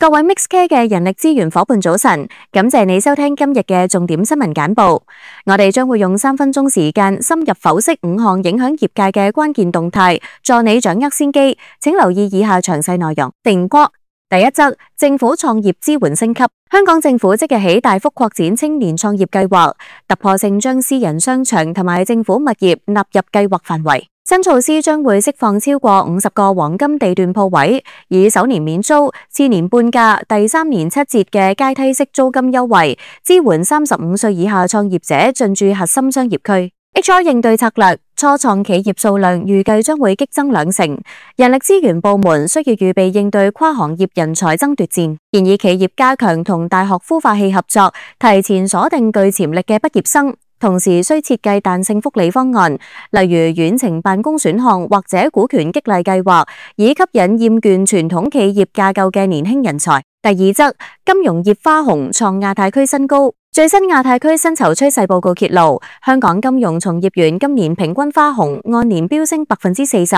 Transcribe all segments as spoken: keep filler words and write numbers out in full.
各位 MixCare 嘅人力資源夥伴早晨，感謝你收聽今日嘅重點新聞簡報。我哋將會用三分鐘時間深入剖析五項影響業界嘅關鍵動態，助你掌握先機。請留意以下詳細內容。定國第一則，政府創業支援升級。香港政府即日起大幅擴展青年創業計劃，突破性將私人商場同埋政府物業納入計劃範圍。新措施將會釋放超過五十個黃金地段鋪位，以首年免租、次年半價、第三年七折嘅階梯式租金優惠，支援三十五歲以下創業者進駐核心商業區。H R 應對策略，初創企業數量預計將會激增兩成，人力資源部門需要預備應對跨行業人才爭奪戰，建議企業加強同大學孵化器合作，提前鎖定具潛力嘅畢業生。同時需設計彈性福利方案，例如遠程辦公選項或者股權激勵計劃，以吸引厭倦傳統企業架構嘅年輕人才。第二則，金融業花紅創亞太區新高。最新亞太區薪酬趨勢報告揭露，香港金融從業員今年平均花紅按年飆升百分之四十，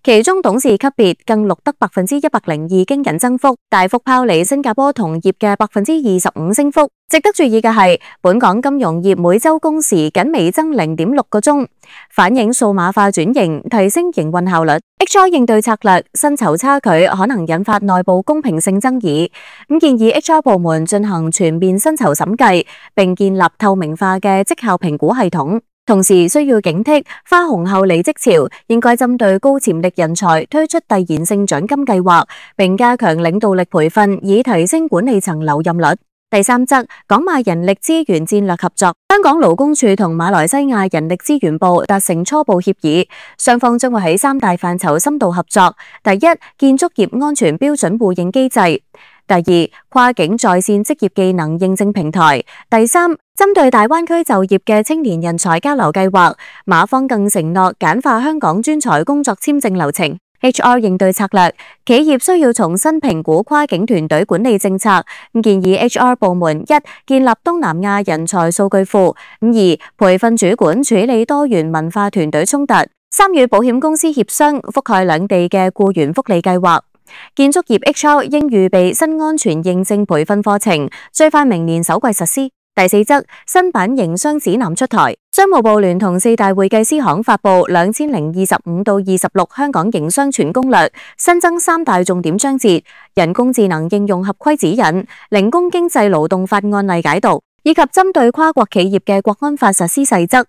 其中董事級別更錄得百分之一百零二驚人增幅，大幅拋離新加坡同業嘅百分之二十五升幅。值得注意嘅係，本港金融業每周工時僅微增零點六個鐘，反映數碼化轉型，提升營運效率。H R 應對策略，薪酬差距可能引發內部公平性爭議，咁建議 H R 部門進行全面薪酬審計，並建立透明化嘅績效評估系統。同時需要警惕花紅後離職潮，應該針對高潛力人才推出遞延性獎金計劃，並加強領導力培訓，以提升管理層留任率。第三則，港馬人力資源戰略合作。香港勞工處同馬來西亞人力資源部達成初步協議，雙方將會喺三大範疇深度合作。第一，建築業安全標準互認機制；第二，跨境在線職業技能認證平台；第三，針對大灣區就業嘅青年人才交流計劃，馬方更承諾簡化香港專才工作簽證流程。H R 應對策略，企業需要重新評估跨境團隊管理政策，建議 H R 部門一建立東南亞人才數據庫，二培訓主管處理多元文化團隊衝突，三與保險公司協商覆蓋兩地嘅僱員福利計劃。建築業 H R 應預備新安全認證培訓課程，最快明年首季實施。第四則，新版營商指南出台，商務部聯同四大會計師行發布兩千零二十五到二十六香港營商全攻略，新增三大重點章節：人工智能應用合規指引、零工經濟勞動法案例解讀，以及針對跨國企業嘅國安法實施細則。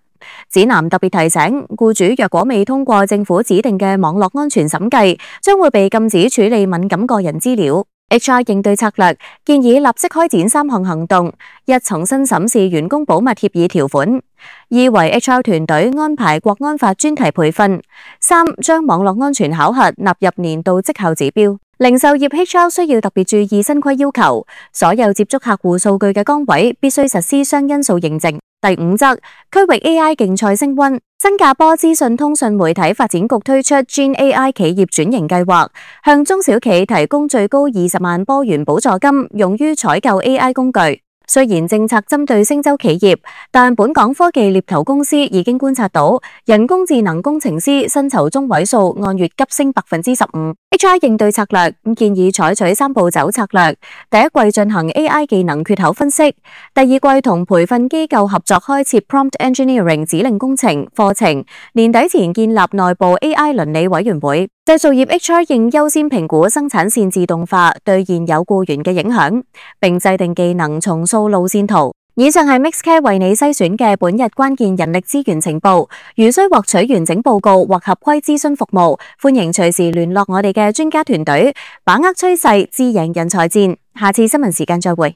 指南特別提醒，僱主若果未通過政府指定嘅網絡安全審計，將會被禁止處理敏感個人資料。H R 應對策略，建議立即開展三項行動：一、重新審視員工保密協議條款；二、為 H R 團隊安排國安法專題培訓；三、將網絡安全考核納入年度績效指標。零售業 H R 需要特別注意新規要求，所有接觸客戶數據嘅崗位必須實施雙因素認證。第五則，區域 A I 競賽升溫。新加坡資訊通訊媒體發展局推出 Gen A I 企業轉型計劃，向中小企提供最高二十萬波元補助金，用於採購 A I 工具。雖然政策針對星洲企業，但本港科技獵頭公司已經觀察到，人工智能工程師薪酬中位數按月急升百分之十五。H R 應對策略，建議採取三步走策略：第一季進行 A I 技能缺口分析；第二季同培訓機構合作開設 Prompt Engineering 指令工程課程；年底前建立內部 A I 倫理委員會。製造業 H R 應優先評估生產線自動化對現有僱員嘅影響，並制定技能重塑路線圖。以上係 MixCare 為你篩選嘅本日關鍵人力資源情報。如需獲取完整報告或合規諮詢服務，歡迎隨時聯絡我哋嘅專家團隊，把握趨勢，智贏人才戰。下次新聞時間再會。